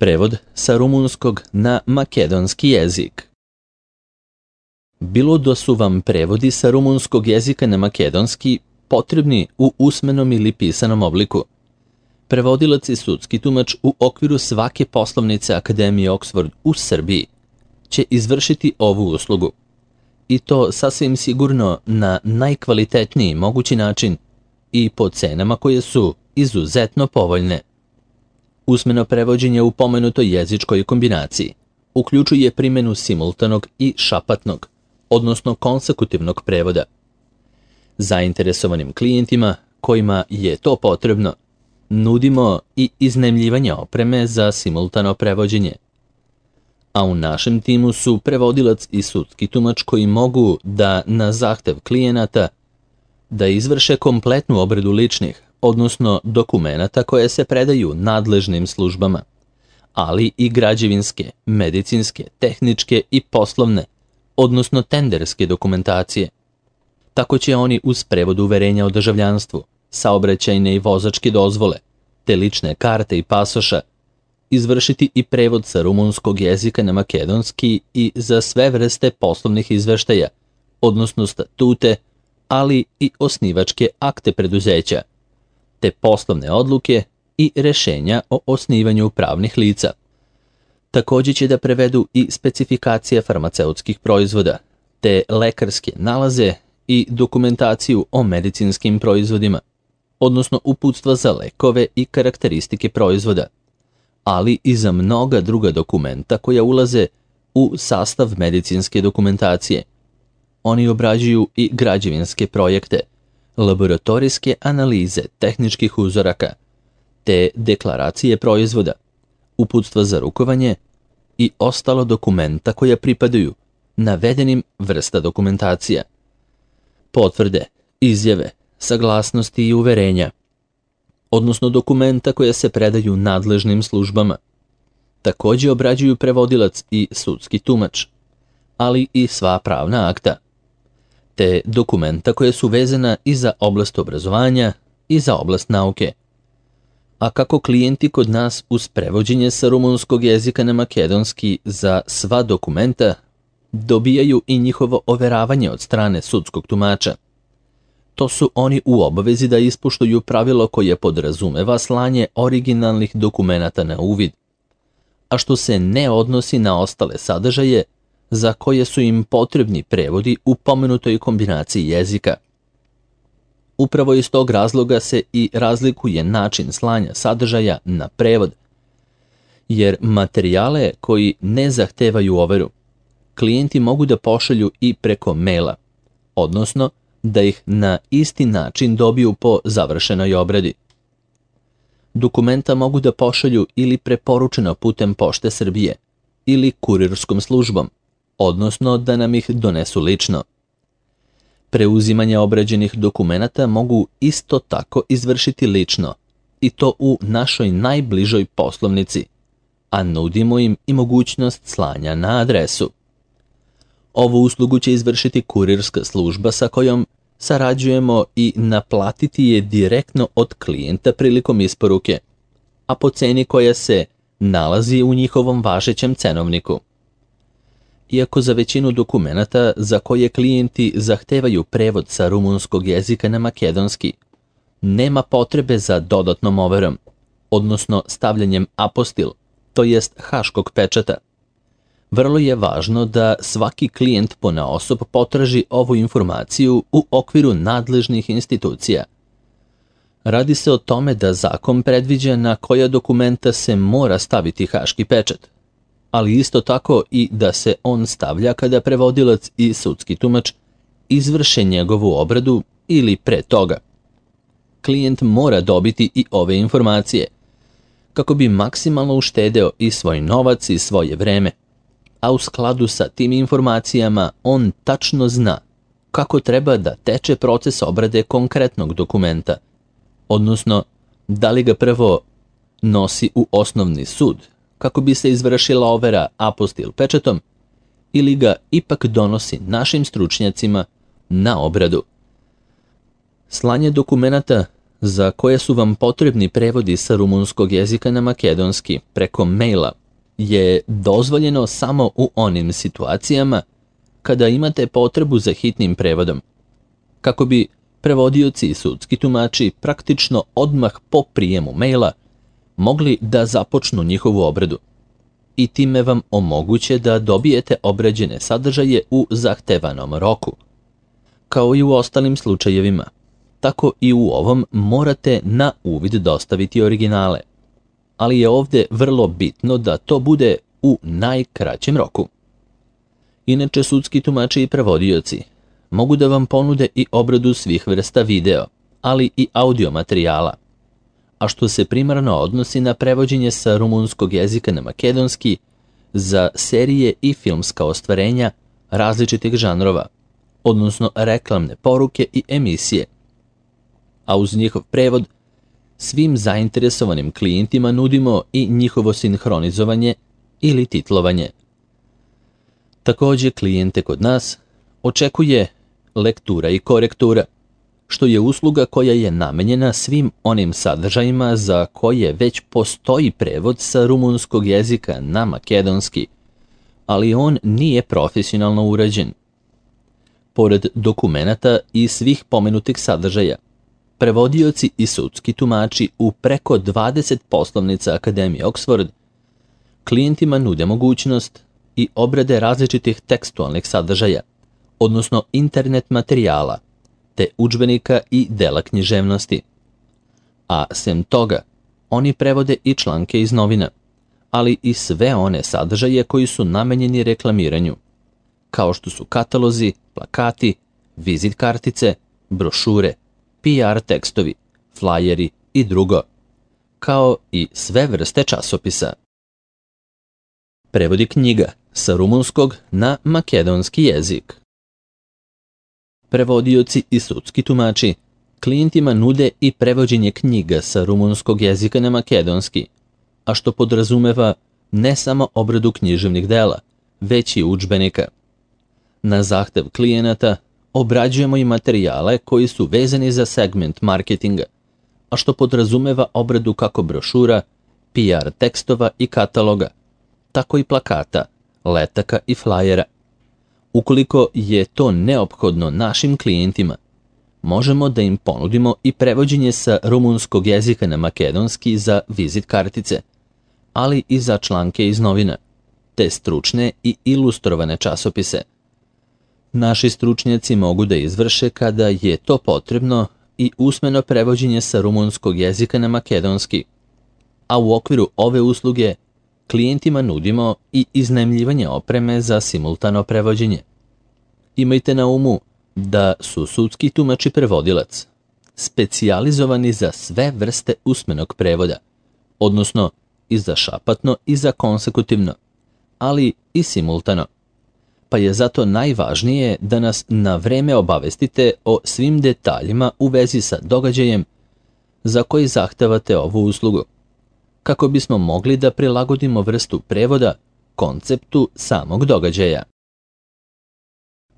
Prevod sa rumunskog na makedonski jezik. Bilo da su vam prevodi sa rumunskog jezika na makedonski potrebni u usmenom ili pisanom obliku. Prevodilac i sudski tumač u okviru svake poslovnice Akademije Oxford u Srbiji će izvršiti ovu uslugu. I to sasvim sigurno na najkvalitetniji mogući način i po cenama koje su izuzetno povoljne. Usmeno prevođenje u pomenutoj jezičkoj kombinaciji uključuje primjenu simultanog i šapatnog, odnosno konsekutivnog prevoda. Zainteresovanim klijentima kojima je to potrebno, nudimo i iznajmljivanje opreme za simultano prevođenje. A u našem timu su prevodilac i sudski tumač koji mogu da na zahtev klijenata da izvrše kompletnu obradu ličnih, odnosno dokumenata koje se predaju nadležnim službama, ali i građevinske, medicinske, tehničke i poslovne, odnosno tenderske dokumentacije. Tako će oni uz prevod uverenja o državljanstvu, saobraćajne i vozačke dozvole, te lične karte i pasoša, izvršiti i prevod sa rumunskog jezika na makedonski i za sve vrste poslovnih izveštaja, odnosno statute, ali i osnivačke akte preduzeća, te poslovne odluke i rešenja o osnivanju pravnih lica. Također će da prevedu i specifikacije farmaceutskih proizvoda, te lekarske nalaze i dokumentaciju o medicinskim proizvodima, odnosno uputstva za lekove i karakteristike proizvoda, ali i za mnoga druga dokumenta koja ulaze u sastav medicinske dokumentacije. Oni obrađuju i građevinske projekte, laboratorijske analize tehničkih uzoraka, te deklaracije proizvoda, uputstva za rukovanje i ostalo dokumenta koja pripadaju navedenim vrsta dokumentacija. Potvrde, izjave, saglasnosti i uverenja, odnosno dokumenta koja se predaju nadležnim službama. Također obrađuju prevodilac i sudski tumač, ali i sva pravna akta, te dokumenta koje su vezana i za oblast obrazovanja i za oblast nauke. A kako klijenti kod nas uz prevođenje sa rumunskog jezika na makedonski za sva dokumenta dobijaju i njihovo overavanje od strane sudskog tumača, to su oni u obavezi da ispoštuju pravilo koje podrazumeva slanje originalnih dokumenata na uvid, a što se ne odnosi na ostale sadržaje za koje su im potrebni prevodi u pomenutoj kombinaciji jezika. Upravo iz tog razloga se i razlikuje način slanja sadržaja na prevod, jer materijale koji ne zahtevaju overu, klijenti mogu da pošalju i preko maila, odnosno da ih na isti način dobiju po završenoj obradi. Dokumenta mogu da pošalju ili preporučeno putem Pošte Srbije ili kurirskom službom, odnosno da nam ih donesu lično. Preuzimanje obrađenih dokumenata mogu isto tako izvršiti lično, i to u našoj najbližoj poslovnici, a nudimo im i mogućnost slanja na adresu. Ovu uslugu će izvršiti kurirska služba sa kojom sarađujemo i naplatiti je direktno od klijenta prilikom isporuke, a po ceni koja se nalazi u njihovom važećem cenovniku. Iako za većinu dokumenata za koje klijenti zahtevaju prevod sa rumunskog jezika na makedonski, nema potrebe za dodatnom overom, odnosno stavljanjem apostil, to jest haškog pečata. Vrlo je važno da svaki klijent ponaosob potraži ovu informaciju u okviru nadležnih institucija. Radi se o tome da zakon predviđa na koja dokumenta se mora staviti haški pečat, ali isto tako i da se on stavlja kada prevodilac i sudski tumač izvrše njegovu obradu ili pre toga. Klijent mora dobiti i ove informacije, kako bi maksimalno uštedeo i svoj novac i svoje vreme, a u skladu sa tim informacijama on tačno zna kako treba da teče proces obrade konkretnog dokumenta, odnosno da li ga prvo nosi u osnovni sud kako bi se izvršila overa apostil pečatom ili ga ipak donosi našim stručnjacima na obradu. Slanje dokumenata za koje su vam potrebni prevodi sa rumunskog jezika na makedonski preko maila je dozvoljeno samo u onim situacijama kada imate potrebu za hitnim prevodom, kako bi prevodioci i sudski tumači praktično odmah po prijemu maila mogli da započnu njihovu obradu i time vam omoguće da dobijete obrađene sadržaje u zahtevanom roku. Kao i u ostalim slučajevima, tako i u ovom morate na uvid dostaviti originale, ali je ovdje vrlo bitno da to bude u najkraćem roku. Inače, sudski tumači i prevodioci mogu da vam ponude i obradu svih vrsta video, ali i audio materijala, a što se primarno odnosi na prevođenje sa rumunskog jezika na makedonski za serije i filmska ostvarenja različitih žanrova, odnosno reklamne poruke i emisije, a uz njihov prevod svim zainteresovanim klijentima nudimo i njihovo sinhronizovanje ili titlovanje. Također klijente kod nas očekuje lektura i korektura, što je usluga koja je namenjena svim onim sadržajima za koje već postoji prevod sa rumunskog jezika na makedonski, ali on nije profesionalno urađen. Pored dokumenata i svih pomenutih sadržaja, prevodioci i sudski tumači u preko 20 poslovnica Akademije Oxford klijentima nude mogućnost i obrade različitih tekstualnih sadržaja, odnosno internet materijala, te udžbenika i dela književnosti. A sem toga, oni prevode i članke iz novina, ali i sve one sadržaje koji su namenjeni reklamiranju, kao što su katalozi, plakati, vizit kartice, brošure, PR tekstovi, flajeri i drugo, kao i sve vrste časopisa. Prevodi knjiga sa rumunskog na makedonski jezik. Prevodioci i sudski tumači klijentima nude i prevođenje knjiga sa rumunskog jezika na makedonski, a što podrazumeva ne samo obradu književnih dela, već i udžbenika. Na zahtev klijenata obrađujemo i materijale koji su vezani za segment marketinga, a što podrazumeva obradu kako brošura, PR tekstova i kataloga, tako i plakata, letaka i flajera. Ukoliko je to neophodno našim klijentima, možemo da im ponudimo i prevođenje sa rumunskog jezika na makedonski za vizit kartice, ali i za članke iz novina, te stručne i ilustrovane časopise. Naši stručnjaci mogu da izvrše kada je to potrebno i usmeno prevođenje sa rumunskog jezika na makedonski, a u okviru ove usluge klijentima nudimo i iznajmljivanje opreme za simultano prevođenje. Imajte na umu da su sudski tumač i prevodilac specijalizovani za sve vrste usmenog prevoda, odnosno i za šapatno i za konsekutivno, ali i simultano. Pa je zato najvažnije da nas na vreme obavestite o svim detaljima u vezi sa događajem za koji zahtevate ovu uslugu, kako bismo mogli da prilagodimo vrstu prevoda konceptu samog događaja.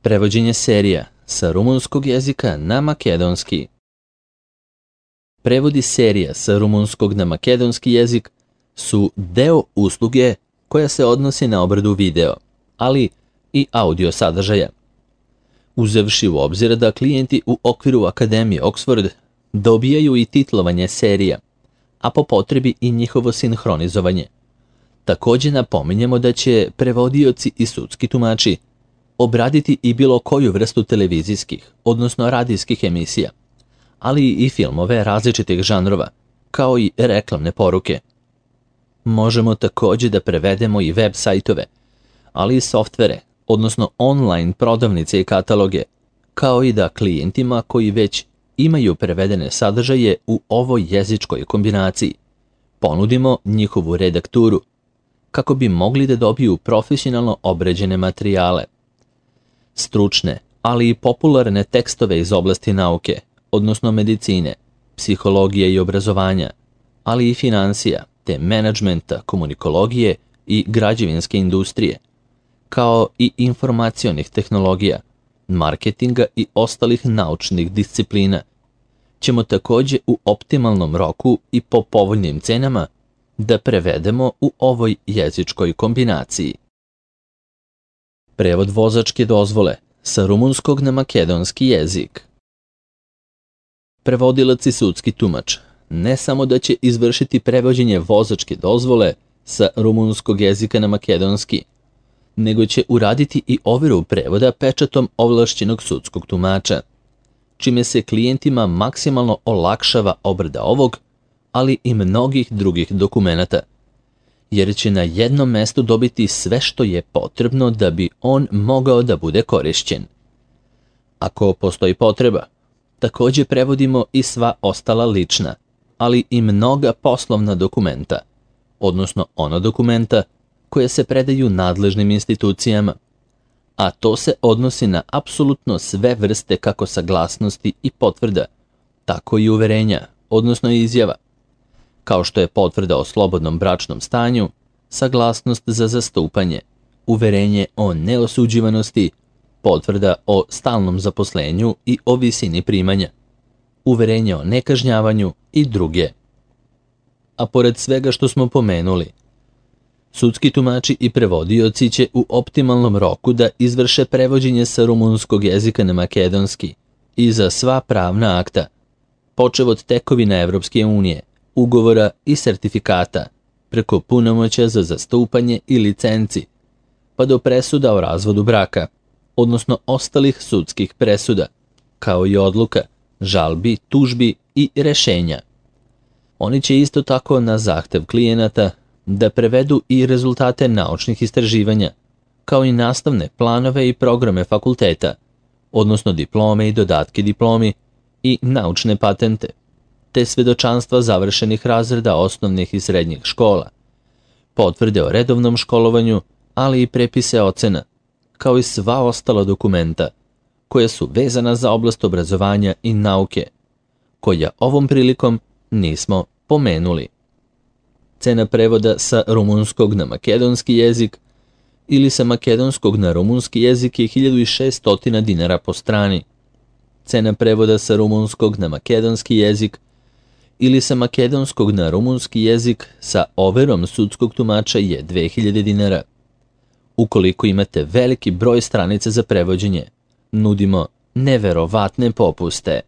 Prevođenje serija sa rumunskog jezika na makedonski. Prevodi serija sa rumunskog na makedonski jezik su deo usluge koja se odnosi na obradu video, ali i audio sadržaja. Uzevši u obzir da klijenti u okviru Akademije Oxford dobijaju i titlovanje serija, a po potrebi i njihovo sinhronizovanje. Također napominjemo da će prevodioci i sudski tumači obraditi i bilo koju vrstu televizijskih, odnosno radijskih emisija, ali i filmove različitih žanrova, kao i reklamne poruke. Možemo također da prevedemo i web sajtove, ali i softvere, odnosno online prodavnice i kataloge, kao i da klijentima koji već imaju prevedene sadržaje u ovoj jezičkoj kombinaciji ponudimo njihovu redakturu, kako bi mogli da dobiju profesionalno obrađene materijale. Stručne, ali i popularne tekstove iz oblasti nauke, odnosno medicine, psihologije i obrazovanja, ali i financija, te menadžmenta, komunikologije i građevinske industrije, kao i informacionih tehnologija, marketinga i ostalih naučnih disciplina, ćemo takođe u optimalnom roku i po povoljnim cenama da prevedemo u ovoj jezičkoj kombinaciji. Prevod vozačke dozvole sa rumunskog na makedonski jezik. Prevodilac i sudski tumač ne samo da će izvršiti prevođenje vozačke dozvole sa rumunskog jezika na makedonski, nego će uraditi i overu prevoda pečatom ovlašćenog sudskog tumača, čime se klijentima maksimalno olakšava obrada ovog, ali i mnogih drugih dokumenata, jer će na jednom mestu dobiti sve što je potrebno da bi on mogao da bude korišćen. Ako postoji potreba, takođe prevodimo i sva ostala lična, ali i mnoga poslovna dokumenta, odnosno ona dokumenta koje se predaju nadležnim institucijama, a to se odnosi na apsolutno sve vrste kako saglasnosti i potvrda, tako i uverenja, odnosno izjava, kao što je potvrda o slobodnom bračnom stanju, saglasnost za zastupanje, uverenje o neosuđivanosti, potvrda o stalnom zaposlenju i o visini primanja, uverenje o nekažnjavanju i druge. A pored svega što smo pomenuli, sudski tumači i prevodioci će u optimalnom roku da izvrše prevođenje sa rumunskog jezika na makedonski i za sva pravna akta, počev od tekovina Evropske unije, ugovora i sertifikata, preko punomoćja za zastupanje i licenci, pa do presuda o razvodu braka, odnosno ostalih sudskih presuda, kao i odluka, žalbi, tužbi i rešenja. Oni će isto tako na zahtev klijenata da prevedu i rezultate naučnih istraživanja, kao i nastavne planove i programe fakulteta, odnosno diplome i dodatke diplomi i naučne patente, te svedočanstva završenih razreda osnovnih i srednjih škola, potvrde o redovnom školovanju, ali i prepise ocena, kao i sva ostala dokumenta koja su vezana za oblast obrazovanja i nauke, koja ovom prilikom nismo pomenuli. Cena prevoda sa rumunskog na makedonski jezik ili sa makedonskog na rumunski jezik je 1600 dinara po strani. Cena prevoda sa rumunskog na makedonski jezik ili sa makedonskog na rumunski jezik sa overom sudskog tumača je 2000 dinara. Ukoliko imate veliki broj stranica za prevođenje, nudimo neverovatne popuste.